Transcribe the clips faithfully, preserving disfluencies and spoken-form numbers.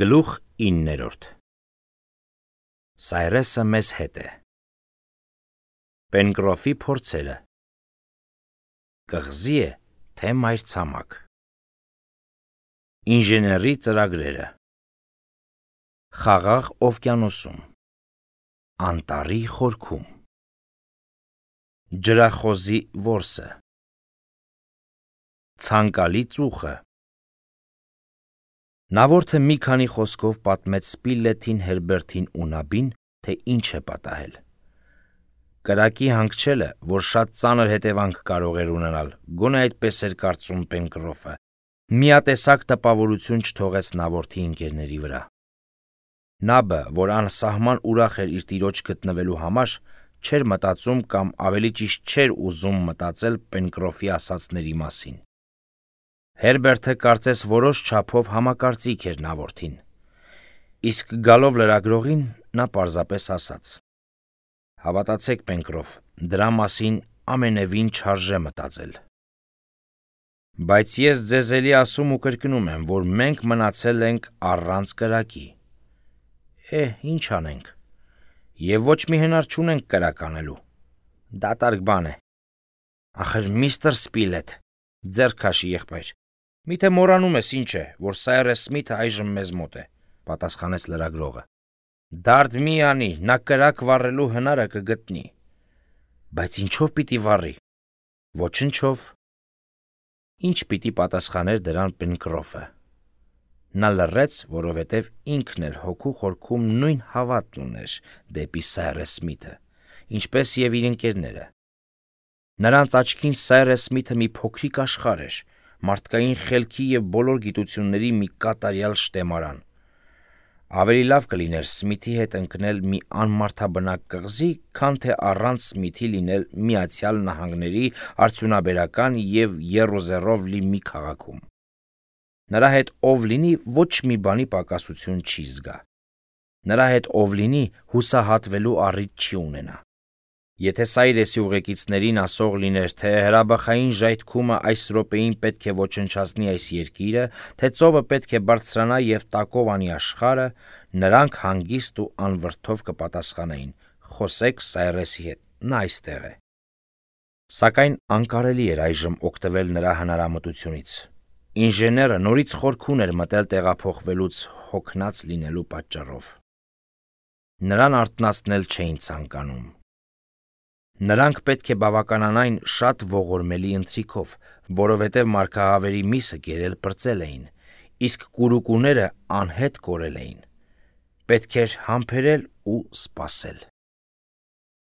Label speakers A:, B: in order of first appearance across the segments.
A: Գլուխ իններորդ Սայրեսը մեզ հետ է։ Պենկրոֆի փորձերը։ Կղզի է, թե մայրցամաք։ Ինժեների ծրագրերը։ Խաղաղ օվկիանոսում։ Անտառի խորքում։ Ջրախոզի որսը։ Ցանկալի ծուխը։ Նավորդը մի քանի խոսքով պատմեց Սպիլեթին, Հերբերտին ու Նաբին, թե ինչ է պատահել։ Կրակի հանգչելը, որ շատ ծանր հետևանք կարող էր ունենալ, գոնե այդպես էր կարծում Պենկրոֆը, միատեսակ տպավորություն չթողեց նավորդի ընկերների վրա։ Նաբը, որ անսահման ուրախ էր իր տիրոջ գտնվելու համար, չէր մտածում կամ ավելի ճիշտ չէր ուզում մտածել Պենկրոֆի ասածների մասին։ Հերբերտը կարծես որոշ չափով համակարծիք էր նավորդին, իսկ գալով լրագրողին նա պարզապես ասաց. «Հավատացեք, Պենկրոֆ, դրա մասին ամենևին չարժե մտածել։ Բայց ես ձեզ էլի ասում ու կրկնում եմ, որ մենք մնացել ենք առանց կրակի։ Է, ինչ անենք, և ոչ մի հնար չունենք կրակ անելու։ Դատարկ բան է։ Ախր միստր Սպիլեթ, ձեռք քաշի եղբայր, միթե մոռանում ես ինչ է, որ Սայրես Սմիթը այժմ մեզ մոտ է», պատասխանեց լրագրողը։ «Դարդ մի անի, նա կրակ վառելու հնարը կգտնի»։ Բայց ինչով պիտի վառի։ Ոչնչով։ Ինչ պիտի պատասխաներ դրան Պենկրոֆը։ Նա լռեց, որովհետև ինքն էլ հոգու խորքում նույն հավատն ուներ դեպի Սայրես Սմիթը, ինչպես և իր ընկերները։ Նրանց աչքին Սայրես Սմիթը մի փոքրիկ աշխարհ էր, մարդկային խելքի և բոլոր գիտությունների մի կատարյալ շտեմարան։ Ավելի լավ կլիներ Սմիթի հետ ընկնել մի անմարդաբնակ կղզի, քան թե առանց Սմիթի լինել Միացյալ Նահանգների արդյունաբերական և եռուզեռով լի մի քաղաքում։ Նրա հետ ով լինի, ոչ մի բանի պակասություն չի զգա։ Նրա հետ ով լինի, հուսահատվելու առիթ չի ունենա։ Եթե Սայրեսի ուղեկիցներին ասող լիներ, թե հրաբխային ժայթքումը այս րոպեին պետք է ոչնչացնի այս երկիրը, թե ծովը պետք է բարձրանա և տակով անի աշխարհը, նրանք հանգիստ ու անվրդով կպատասխանեին. «Խոսեք Սայրեսի հետ, նա այստեղ է»։ Սակայն անկարելի էր այժմ օգտվել նրա հնարամտությունից։ Ինժեները նորից խորքուն էր մտել տեղափոխվելուց հոգնած լինելու պատճառով։ Նրան արթնացնել չէին ցանկանում։ Նրանք պետք է բավականանային շատ ողորմելի ընթրիքով, որովհետև մարգահավերի միսը կերել պրծել էին, իսկ կուրուկուները անհետ կորել էին։ Պետք էր համբերել ու սպասել։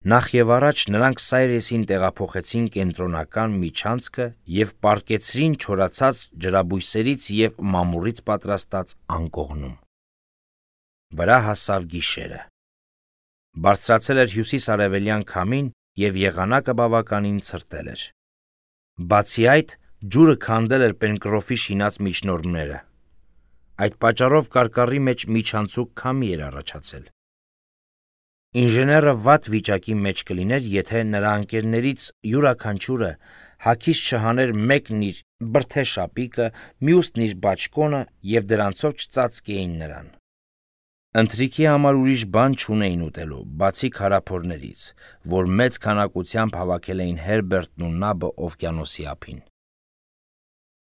A: Նախ և առաջ նրանք Սայրեսին տեղափոխեցին կենտրոնական միջանցքը և պառկեցրին չորացած ջրաբույսերից և մամուռից պատրաստած անկողնում։ Վրա հասավ գիշերը։ Բարձրացել էր հյուսիս-արևելյան քամին և եղանակը բավականին ցրտել էր։ Բացի այդ, ջուրը քանդել էր Պենկրոֆի շինած միջնորդները։ Այդ պատճառով կարկառի մեջ միջանցիկ քամի էր առաջացել։ Ինժեները վատ վիճակի մեջ կլիներ, եթե նրա ընկերներից յուրաքանչյուրը հագիստ չհաներ մեկն իր բրդե շապիկը, մյուսն իր բաճկոնը և դրանցով չծածկեին նրան։ Ընթրիքի համար ուրիշ բան չունեին ուտելու, բացի քարափորներից, որ մեծ քանակությամբ հավաքել էին Հերբերտն ու Նաբը օվկիանոսի ափին։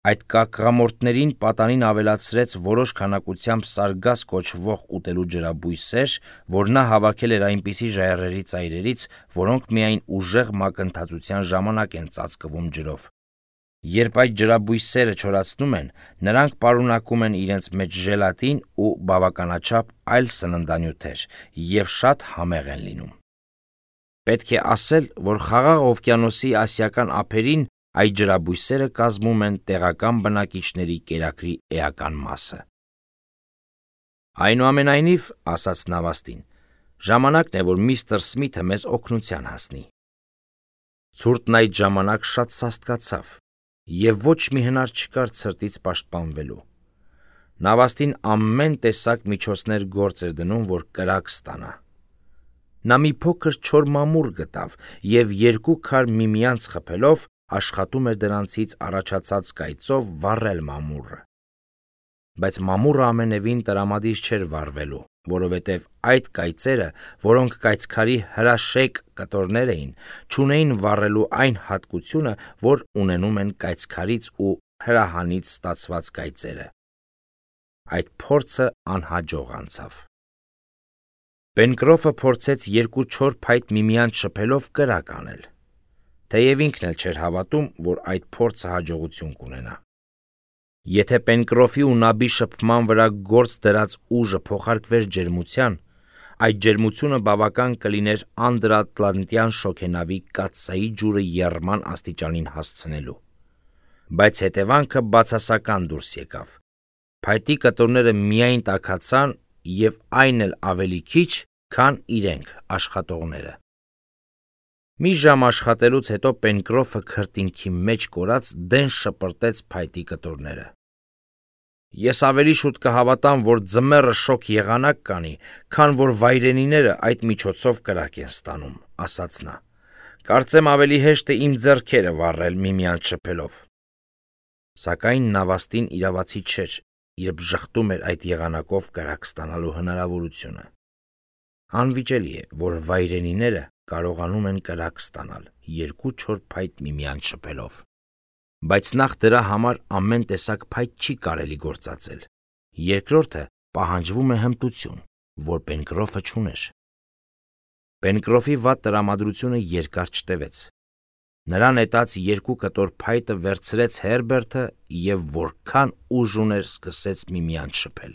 A: Այդ կակղամորթներին պատանին ավելացրեց որոշ քանակությամբ սարգաս կոչվող ուտելու ջրաբույսեր, որ նա հավաքել էր այնպիսի ժայռերի ծայրերից, որոնք միայն ուժեղ մակընթացության ժամանակ են ծածկվում ջրով։ Երբ այդ ջրաբույսերը չորացնում են, նրանք պարունակում են իրենց մեջ ժելատին ու բավականաչափ այլ սննդանյութեր և շատ համեղ են լինում։ Պետք է ասել, որ Խաղաղ օվկիանոսի ասիական ափերին այդ ջրաբույսերը կազմում են տեղական բնակիչների կերակրի էական մասը։ Այնուամենայնիվ, ասաց նավաստին, ժամանակն է, որ միստր Սմիթը մեզ օգնության հասնի։ Ցուրտն այդ ժամանակ շատ սաստկացավ, և ոչ մի հնար չկար ցրտից պաշտպանվելու։ Նավաստին ամեն տեսակ միջոցներ գործ էր դնում, որ կրակ ստանա։ Նա մի փոքր չոր մամուռ գտավ և երկու քար միմյանց խփելով աշխատում էր դրանցից առաջացած կայծով վառել մամուռը։ բայց մամուռը ամենևին տրամադիր չէր վառվելու, որովհետև այդ կայծերը, որոնք կայծքարի հրաշեկ կտորներ էին, չունեին վառելու այն հատկությունը, որ ունենում են կայծքարից ու հրահանից ստացված կայծերը։ Այդ փորձը անհաջող անցավ։ Պենկրոֆը փորձեց երկու չոր փայտ միմյանց շփելով կրակ անել, թեև ինքն էլ չէր հավատում, որ այդ փորձը հաջողություն կունենա։ Եթե Պենկրոֆի ու Նաբի շփման վրա գործ դրած ուժը փոխարկվեր ջերմության, այդ ջերմությունը բավական կլիներ անդրատլանտյան շոգենավի կաթսայի ջուրը եռման աստիճանին հասցնելու։ Բայց հետևանքը բացասական դուրս եկավ։ Փայտի կտորները միայն տաքացան և այն էլ ավելի քիչ, քան իրենք աշխատողները։ Մի ժամ աշխատելուց հետո Պենկրոֆը քրտինքի մեջ կորած դեն շպրտեց փայտի կտորները։ Ես ավելի շուտ կհավատամ, որ ձմեռը շոգ եղանակ կանի, քան որ վայրենիները այդ միջոցով կրակ են ստանում, ասաց նա։ Կարծեմ ավելի հեշտ է իմ ձեռքերը վառել միմյանց շփելով։ Սակայն նավաստին իրավացի չէր, երբ ժխտում էր այդ եղանակով կրակ ստանալու հնարավորությունը։ Անվիճելի է, որ վայրենիները կարողանում են կրակ ստանալ երկու չոր փայտ միմյանց շփելով։ Բայց նախ դրա համար ամեն տեսակ փայտ չի կարելի գործածել։ Երկրորդը պահանջվում է հմտություն, որ Պենկրոֆը չուներ։ Պենկրոֆի վատ տրամադրությունը երկար չտևեց։ Նրա նետած երկու կտոր փայտը վերցրեց Հերբերտը և որքան ուժ ուներ սկսեց միմյանց շփել։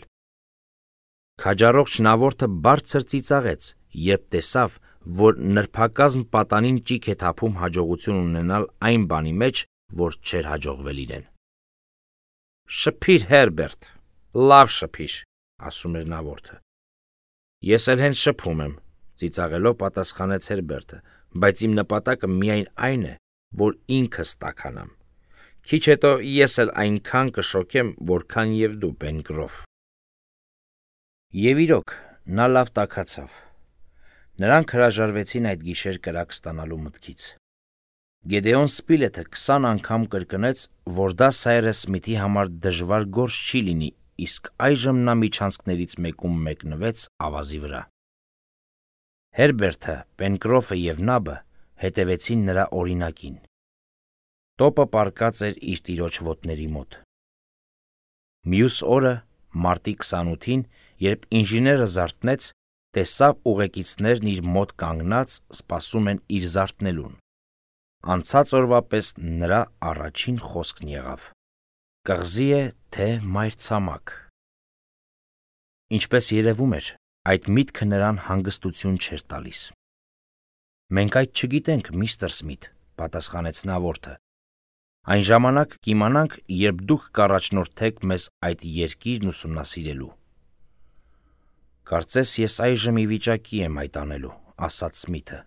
A: Քաջառողջ նավորդը բարձր ծիծաղեց, երբ տեսավ, որ նրբակազմ պատանին ճիգ է թափում հաջողություն ունենալ այն բանի մեջ, որ չէր հաջողվել իրեն։ Շփիր, Հերբերտ, լավ շփիր, ասում էր նավորդը։ Ես էլ հենց շփում եմ, ծիծաղելով պատասխանեց Հերբերտը, բայց իմ նպատակը միայն այն է, որ ինքս տաքանամ։ Քիչ հետո ես էլ այնքան կշոկեմ, որքան և դու, Պենկրոֆ։ Եվ իրոք, նա լավ տաքացավ։ Նրանք հրաժարվեցին այդ գիշեր կրակ ստանալու մտքից։ Գեդեոն Սպիլեթը քսան անգամ կրկնեց, որ դա Սայրս Սմիթի համար դժվար գործ չի լինի, իսկ այժմ նա միջանցքներից մեկում մեկնվեց ավազի վրա։ Հերբերտը, Պենկրոֆը և Նաբը հետևեցին նրա օրինակին։ Տոպը պառկած էր իր տիրոջ ոտների մոտ։ Մյուս օրը, մարտի քսանութին, երբ ինժեները զարթնեց, տեսավ ուղեկիցներն իր մոտ կանգնած սպասում են իր զարթնելուն։ Անցած օրվա պես նրա առաջին խոսքն եղավ. «Կղզի է, թե մայրցամաք»։ Ինչպես երևում էր, այդ միտքը նրան հանգստություն չէր տալիս։ «Մենք այդ չգիտենք, միստր Սմիթ», պատասխանեց նավորդը։ «Այն ժամանակ կիմանանք, երբ դուք կառաջնորդեք մեզ այդ երկիրն ուսումնասիրելու»։ «Կարծես ես այժմ ի վիճակի եմ այդ անելու», ասաց Սմիթը։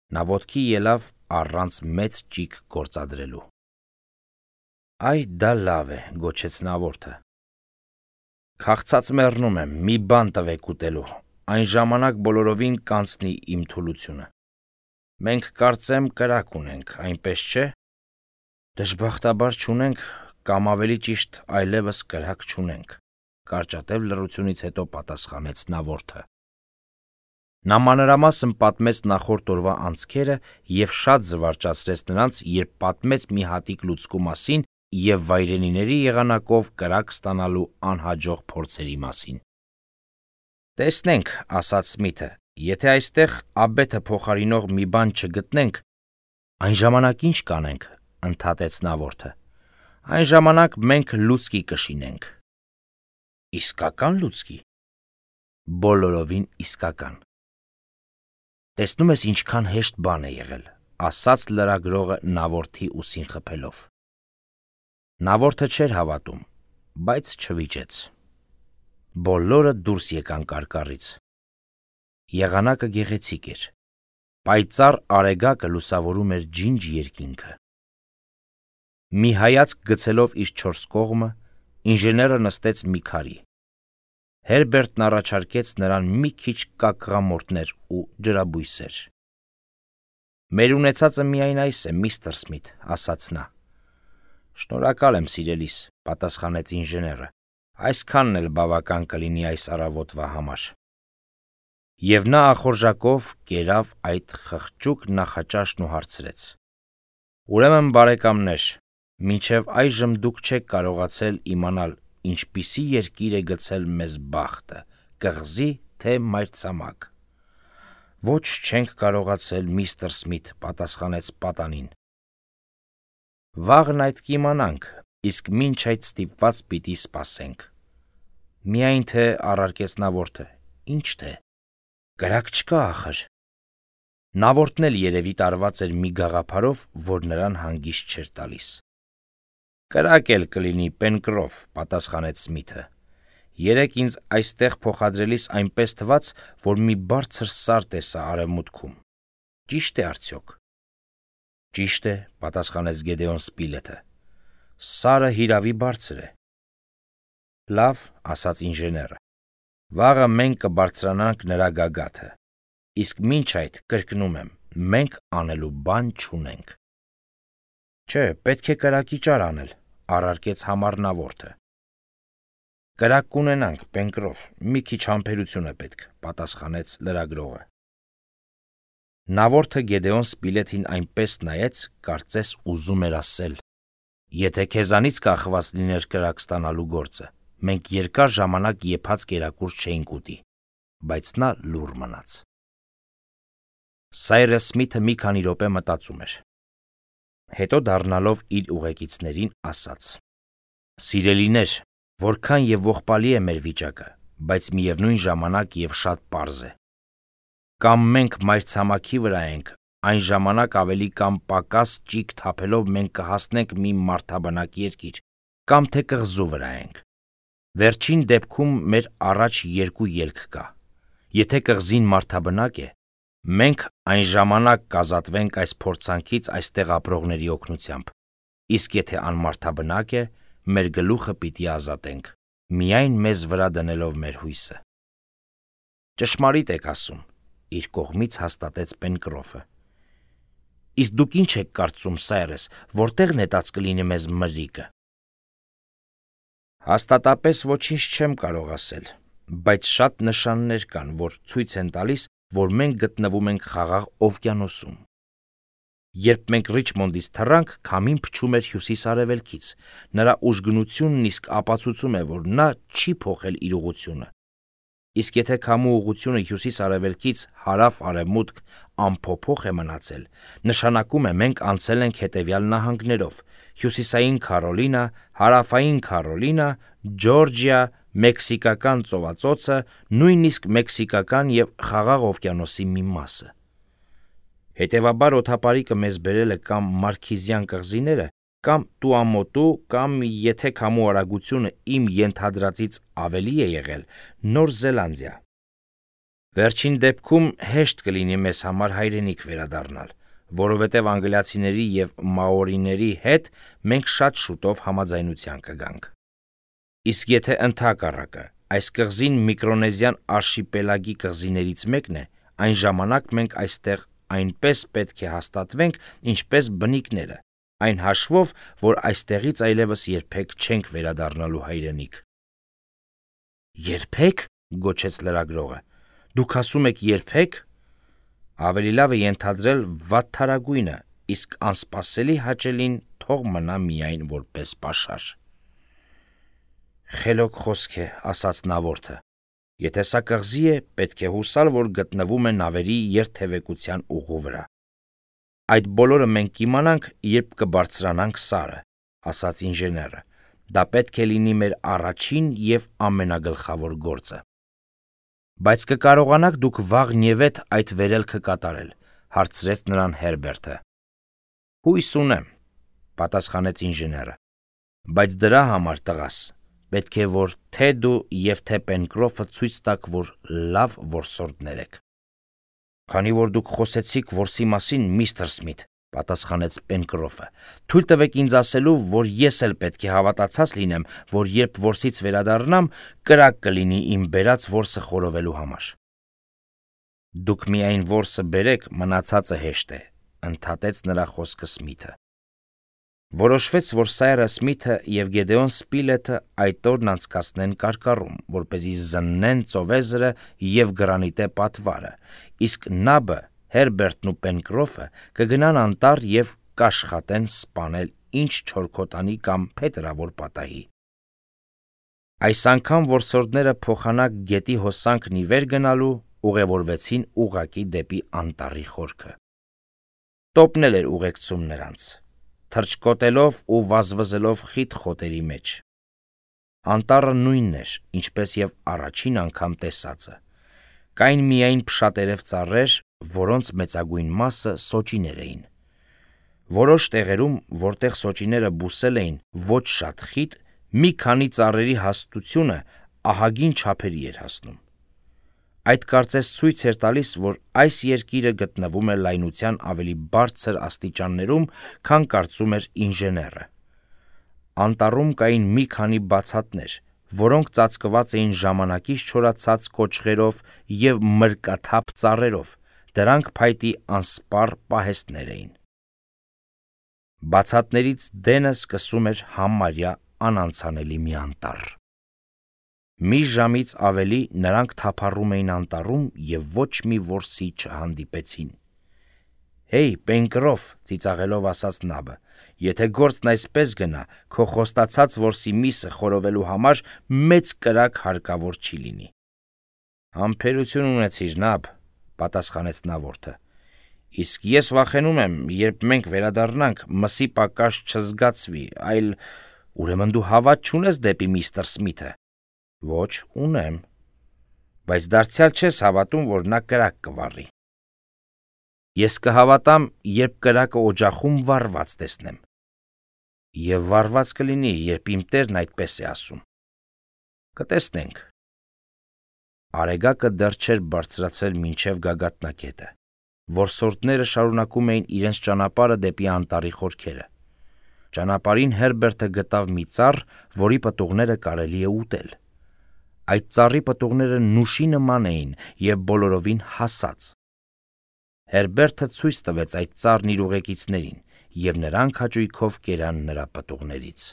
A: Նա ոտքի ելավ առանց մեծ ճիգ գործադրելու։ «Այ դա լավ է», գոչեց նավորդը։ «Քաղցած մեռնում եմ, մի բան տվեք ուտելու, այն ժամանակ բոլորովին կանցնի իմ թուլությունը։ Մենք կարծեմ կրակ ունենք, այնպես չէ»։ «Դժբախտաբար չունենք, կամ ավելի ճիշտ այլևս կրակ չունենք», կարճատև լռությունից հետո պատասխանեց նավորդը։ Նա մանրամասն պատմեց նախորդ օրվա անցքերը և շատ զվարճացրեց նրանց, երբ պատմեց մի հատիկ լուցկու մասին և վայրենիների եղանակով կրակ ստանալու անհաջող փորձերի մասին։ «Տեսնենք», ասաց Սմիթը, «եթե այստեղ աբեթը փոխարինող մի բան չգտնենք»։ «Այն ժամանակ ինչ կանենք», ընդհատեց նավորդը։ «Այն ժամանակ մենք լուցկի կշինենք»։ «Իսկական լուցկի»։ «Բոլորովին իսկական»։ «Տեսնում ես ինչքան հեշտ բան է եղել», ասաց լրագրողը նավորդի ուսին խփելով։ Նավորդը չէր հավատում, բայց չվիճեց։ Բոլորը դուրս եկան կարկառից։ Եղանակը գեղեցիկ էր։ Պայծառ արեգակը լուսավորում էր ջինջ երկինքը։ Մի հայացք գցելով իր չորս կողմը, ինժեները նստեց մի քարի։ Հերբերտն առաջարկեց նրան մի քիչ կակղամորթներ ու ջրաբույսեր։ «Մեր ունեցածը միայն այս է, միստր Սմիթ», ասաց նա։ «Շնորհակալ եմ, սիրելիս», պատասխանեց ինժեները, Այսքանն էլ բավական կլինի այս առավոտվա համար։ Եվ նա ախորժակով կերավ այդ խղճուկ նախաճաշն ու հարցրեց. Ուրեմն բարեկամներ, մինչև այժմ դուք չեք կարողացել իմանալ ինչպիսի երկիր է գցել մեզ բախտը, կղզի թե մայրցամաք։ Ոչ, չենք կարողացել, միստր Սմիթ, պատասխանեց պատանին։ Վաղն այդ կիմանանք, իսկ մինչ այդ ստիպված պիտի սպասենք։ Միայն թե առարկեց նավորդը, ինչ թե, կրակ չկա ախր։ Նավորդն էլ երևի տարված էր մի գաղափարով, որ նրան հանգիստ չէր տալիս։ Կրակ էլ կլինի, Պենկրոֆ, պատասխանեց Սմիթը։ Երեկ ինձ այստեղ փոխադրելիս այնպես թվաց, որ մի բարձր սար տեսա արևմուտքում։ Ճիշտ է արդյոք։ Ճիշտ է, պատասխանեց Գեդեոն Սպիլեթը։ Սարը հիրավի բարձր է։ Լավ, ասաց ինժեները։ Վաղը մենք կբարձրանանք նրա գագաթը։ Իսկ մինչ այդ, կրկնում եմ, մենք անելու բան չունենք։ Չէ, պետք է կրակի ճար անել, առարկեց համառնավորը։ Կրակ կունենանք, Պենկրոֆ, մի քիչ համբերություն է պետք, պատասխանեց լրագրողը։ Նավորդը Գեդեոն Սպիլեթին այնպես նայեց, կարծես ուզում էր ասել. Եթե քեզանից կախված լիներ կրակ ստանալու գործը, մենք երկար ժամանակ եփած կերակուրս չէինք ուտի, բայց նա լուռ մնաց։ Սայրս Սմիթը մի քանի րոպե մտածում էր։ Հետո դառնալով իր ուղեկիցներին ասաց. Սիրելիներ, որքան եւ ողբալի է մեր վիճակը, բայց միևնույն ժամանակ եւ շատ պարզ է։ Կամ մենք մայրցամաքի վրա ենք, այն ժամանակ ավելի կամ պակաս ճիգ թափելով մենք կհասնենք մի մարդաբնակ երկիր, կամ թե կղզու վրա ենք։ Վերջին դեպքում մեր առաջ երկու ելք կա։ Եթե կղզին մարդաբնակ է, մենք այն ժամանակ կազատվենք այս փորձանքից այստեղ ապրողների օգնությամբ, իսկ եթե անմարդաբնակ է, մեր գլուխը պիտի ազատենք, միայն մեզ վրա դնելով մեր հույսը։ Ճշմարիտ եք ասում, իր կողմից հաստատեց Պենկրոֆը։ Իսկ դուք ինչ եք կարծում, Սայրս, որտեղ նետած կլինի մեզ մրրիկը։ Հաստատապես ոչինչ չեմ կարող ասել, բայց շատ նշաններ կան, որ ցույց են տալիս, որ մենք գտնվում ենք խաղաղ օվկիանոսում։ Երբ մենք Ռիչմոնդից թռանք, քամին փչում էր հյուսիս-արևելքից, նրա ուժգնությունն իսկ ապացուցում է, որ նա չի փոխել իր ուղղությունը։ Իսկ եթե քամու ուղղությունը հյուսիս-արևելքից հարավ-արևմուտք անփոփոխ է մնացել, նշանակում է մենք անցել ենք հետևյալ նահանգներով՝ Հյուսիսային Քարոլինա, Հարավային Քարոլինա, Ջորջիա, Մեքսիկական ծովածոցը, նույնիսկ մեքսիկական և Խաղաղ օվկիանոսի մի մասը։ Հետևաբար օդապարիկը մեզ բերել է կամ Մարքիզյան կղզիները, կամ Տուամոտու, կամ, եթե քամու արագությունը իմ ենթադրածից ավելի է եղել, Նոր Զելանդիա։ Վերջին դեպքում հեշտ կլինի մեզ համար հայրենիք վերադառնալ, որովհետև անգլիացիների և մաորիների հետ մենք շատ շուտով համաձայնության կգանք։ Իսկ եթե ընդհակառակը այս կղզին Միկրոնեզիան արշիպելագի կղզիներից մեկն է, այն ժամանակ մենք այստեղ այնպես պետք է հաստատվենք, ինչպես բնիկները, այն հաշվով, որ այստեղից այլևս երբեք չենք վերադառնալու հայրենիք։ Երբեք, գոչեց լրագրողը, դուք ասում եք երբեք։ Ավելի լավ է ենթադրել վատթարագույնը, իսկ անսպասելի հաճելին թող մնա միայն որպես պաշար։ Խելոք խոսք է, ասաց նավորդը։ Եթե սա կղզի է, պետք է հուսալ, որ գտնվում է նավերի երթևեկության ուղու վրա։ Այդ բոլորը մենք կիմանանք, երբ կբարձրանանք սարը, ասաց ինժեները։ Դա պետք է լինի մեր առաջին և ամենագլխավոր գործը։ Բայց կկարողանաք դուք վաղնիևեթ այդ վերելքը կատարել, հարցրեց նրան Հերբերտը։ Հույս ունեմ, պատասխանեց ինժեները, բայց դրա համար, տղաս, պետք է որ թե դու և թե Պենկրոֆը ցույց տաք, որ լավ որսորդներ եք։ Քանի որ դուք խոսեցիք որսի մասին, միստր Սմիթ, պատասխանեց Պենկրոֆը, թույլ տվեք ինձ ասելու, որ ես էլ պետք է հավատացած լինեմ, որ երբ որսից վերադառնամ, կրակ կլինի իմ բերած որսը խորովելու համար։ Դուք միայն որսը բերեք, մնացածը հեշտ է, ընդհատեց նրա խոսքը Սմիթը։ Որոշվեց, որ Սայրաս Սմիթը և Գեդեոն Սպիլեթը այդ օրն անցկացնեն կարկառում, որպեսզի զննեն ծովեզրը և գրանիտե պատվարը, իսկ Նաբը, Հերբերտն ու Պենկրոֆը կգնան անտառ և կաշխատեն սպանել ինչ չորքոտանի կամ փետրավոր պատահի։ Այս անգամ որսորդները փոխանակ գետի հոսանքն ի վեր գնալու ուղևորվեցին ուղղակի դեպի անտառի խորքը։ Տոպն էլ էր ուղեկցում նրանց, թռչկոտելով ու վազվզելով խիտ խոտերի մեջ։ Անտառը նույնն էր, ինչպես և առաջին անգամ տեսածը։ Կային միայն փշատերև ծառեր, որոնց մեծագույն մասը սոճիներ էին։ Որոշ տեղերում, որտեղ սոճիները բուսել էին ոչ շատ խիտ, մի քանի ծառերի հաստությունը ահագին չափերի էր հասնում։ Այդ կարծես ցույց էր տալիս, որ այս երկիրը գտնվում է լայնության ավելի բարձր աստիճաններում, քան կարծում էր ինժեները։ Անտառում կային մի քանի բացատներ, որոնք ծածկված էին ժամանակից չորացած կոճղերով և մրկաթափ ծառերով, դրանք փայտի անսպառ պահեստներ էին։ Բացատներից դենը սկսում էր համարյա անանցանելի մի անտառ։ Մի ժամից ավելի նրանք թափառում էին անտառում և ոչ մի որսի չհանդիպեցին։ «Հեյ, Պենկրոֆ», ծիծաղելով ասաց Նաբը, «եթե գործն այսպես գնա, քո խոստացած որսի միսը խորովելու համար մեծ կրակ հարկավոր չի լինի»։ «Համբերություն ունեցիր, Նաբ», պատասխանեց նավորդը, «իսկ ես վախենում եմ, երբ մենք վերադառնանք, մսի պակաս չզգացվի, այլ… Ուրեմն դու հավատ չունես դեպի միստր Սմիթը»։ «Ոչ, ունեմ, բայց դարձյալ չես հավատում, որ նա կրակ կվառի»։ «Ես կհավատամ, երբ կրակը օջախում վառված տեսնեմ»։ «Եվ վառված կլինի, երբ իմ տերն այդպես է ասում»։ «Կտեսնենք»։ Արեգակը դեռ չէր բարձրացել մինչև գագաթնակետը։ Որսորդները շարունակում էին իրենց ճանապարհը դեպի անտառի խորքերը։ Ճանապարհին Հերբերտը գտավ մի ծառ, որի պտուղները կարելի է ուտել։ Այդ ծառի պտուղները նուշի նման էին և բոլորովին հասած։ Հերբերտը ցույց տվեց այդ ծառն իր ուղեկիցներին, և նրանք հաճույքով կերան նրա պտուղներից։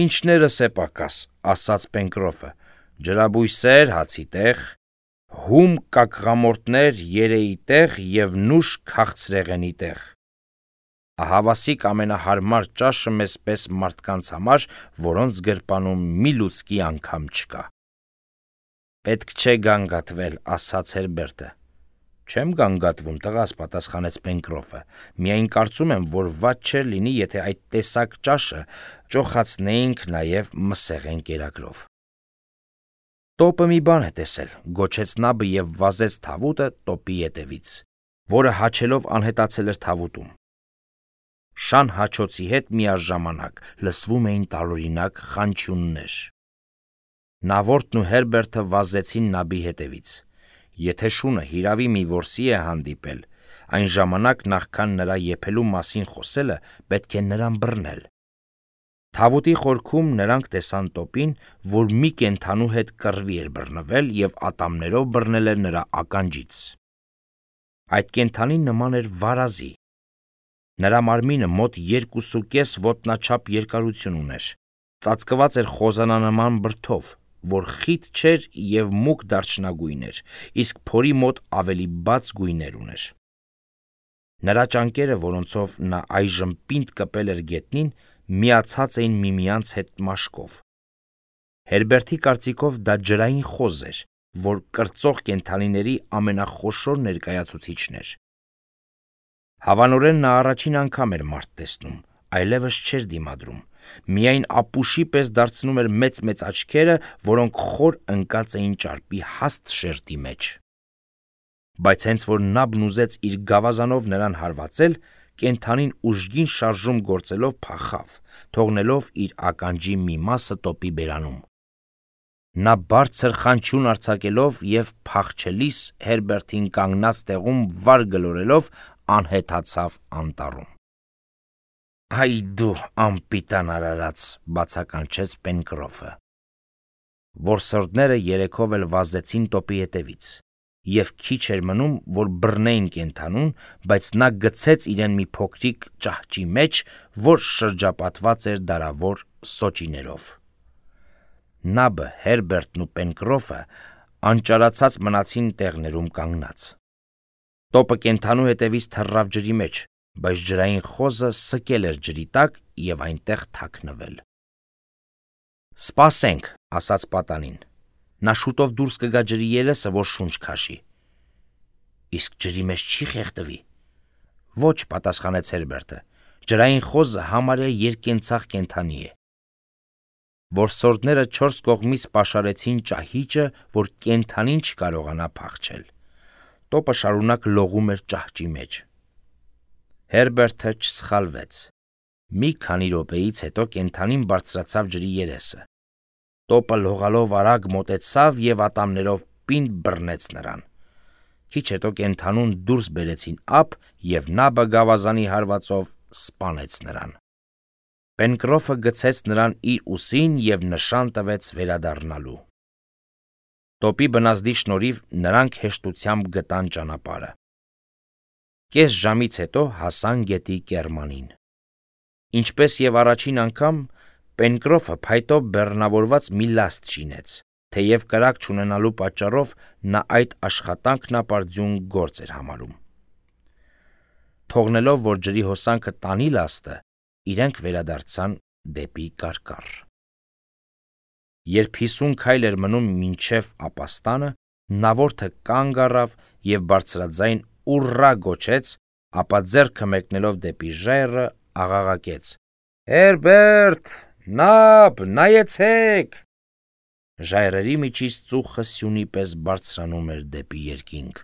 A: «Ինչներս է պակաս», ասաց Պենկրոֆը, «ջրաբույսեր հացի տեղ, հում կակղամորտներ երեի տեղ և նուշ քաղցրեղենի տեղ։ Ահավասիկ ամենահարմար ճաշը մեզ պես մարդկանց համար, որոնց գրպանում մի լուցկի անգամ չկա»։ «Պետք չէ գանգատվել», ասաց Հերբերտը։ «Չեմ գանգատվում, տղաս», պատասխանեց Պենկրոֆը, «միայն կարծում եմ, որ վատ չէր լինի, եթե այդ տեսակ ճաշը ճոխացնեինք նաև մսեղեն կերակրով»։ «Տոպը մի բան է տեսել», գոչեց Նաբը և վազեց թավուտը տոպի ետևից, որը հաչելով անհետացել էր թավուտում։ Շան հաչոցի հետ միաժամանակ լսվում էին տարօրինակ խանչյուններ։ Նավորդն ու Հերբերտը վազեցին Նաբի հետևից։ Եթե շունը հիրավի մի որսի է հանդիպել, այն ժամանակ նախքան նրա եփելու մասին խոսելը պետք է նրան բռնել։ Թավուտի խորքում նրանք տեսան տոպին, որ մի կենդանու հետ կռվի էր բռնվել և ատամներով բռնել էր նրա ականջից։ Այդ կենդանին նման էր վարազի։ Նրա մարմինը մոտ երկուսուկես ոտնաչափ երկարություն ուներ, ծածկված էր խոզանանման բրդով, որ խիտ չէր և մուգ դարչնագույն էր, իսկ փորի մոտ ավելի բաց գույներ ուներ։ Նրա ճանկերը, որոնցով նա այժմ պինդ կպել էր գետնին, միացած էին միմյանց հետ մաշկով։ Հերբերտի կարծիքով դա ջրային խոզ էր, որ կրծող կենդանիների ամենախոշոր ներկայացուցիչն էր։ Հավանորեն նա առաջին անգամ էր մարդ տեսնում, այլևս չէր դիմադրում, միայն ապուշի պես դարձնում էր մեծ-մեծ աչքերը, որոնք խոր ընկած էին ճարպի հաստ շերտի մեջ։ Բայց հենց որ Նաբն ուզեց իր գավազանով նրան հարվածել, կենդանին ուժգին շարժում գործելով փախավ, թողնելով իր ականջի մի մասը տոպի բերանում։ Նա բարձր խանչյուն արձակելով և փախչելիս Հերբերտին կանգնած տեղում վար գլորելով անհետացավ անտառում։ «Այ դու անպիտան արարած», բացականչեց Պենկրոֆը։ Որսորդները երեքով էլ վազեցին տոպի ետևից։ և քիչ էր մնում, որ բռնեին կենդանուն, բայց նա գցեց իրեն մի փոքրիկ ճահճի մեջ, որ շրջապատված էր դարավոր սոճիներով։ Նաբը, Հերբերտն ու Պենկրոֆը անճարացած մնացին տեղներում կանգնած։ Տոպը կենդանու հետևից թռավ ջրի մեջ, բայց ջրային խոզը սկել էր ջրի տակ և այնտեղ թաքնվել։ «Սպասենք», ասաց պատանին, նա շուտով դուրս կգա ջրի երեսը, որ շունչ քաշի։ «Իսկ ջրի մեջ չի խեղդվի»։ «Ոչ», պատասխանեց Հերբերտը, ջրային խոզը համարյա երկենցաղ կենդանի է։ Որսորդները չորս կողմից պաշարեցին ճահիճը, որ կենդանին չկարողանա փախչել։ Տոպը շարունակ լողում էր ճահճի մեջ։ Հերբերտը չսխալվեց։ Մի քանի րոպեից հետո կենդանին բարձրացավ ջրի երեսը։ Տոպը լողալով արագ մոտեցավ և ատամներով պինդ բռնեց նրան։ Քիչ հետո կենդանուն դուրս բերեցին ափ, և նաբը գավազանի հարվածով սպանեց նրան։ Պենկրոֆը գցեց նրան իր ուսին և նշան տվեց վերադառնալու։ Տոպի բնազդի շնորհիվ նրանք հեշտությամբ գտան ճանապարհը։ Կես ժամից հետո հասան գետի կեռմանին։ Ինչպես և առաջին անգամ, Պենկրոֆը փայտով բեռնավորված մի լաստ շինեց, թեև կրակ չունենալու պատճառով նա այդ աշխատանքն ապարդյուն գործ էր համարում։ Թողնելով, որ ջրի հոսանքը տանի լաստը, իրենք վերադարձան դեպի կարկառ։ Երբ հիսուն քայլ էր մնում մինչև ապաստանը, նավորդը կանգ առավ և բարձրաձայն «ուռա» գոչեց, ապա ձեռքը մեկնելով դեպի ժայռը աղաղակեց. «Հերբերտ, Նաբ, նայեցեք»։ Ժայռերի միջից ծուխը սյունի պես բարձրանում էր դեպի երկինք։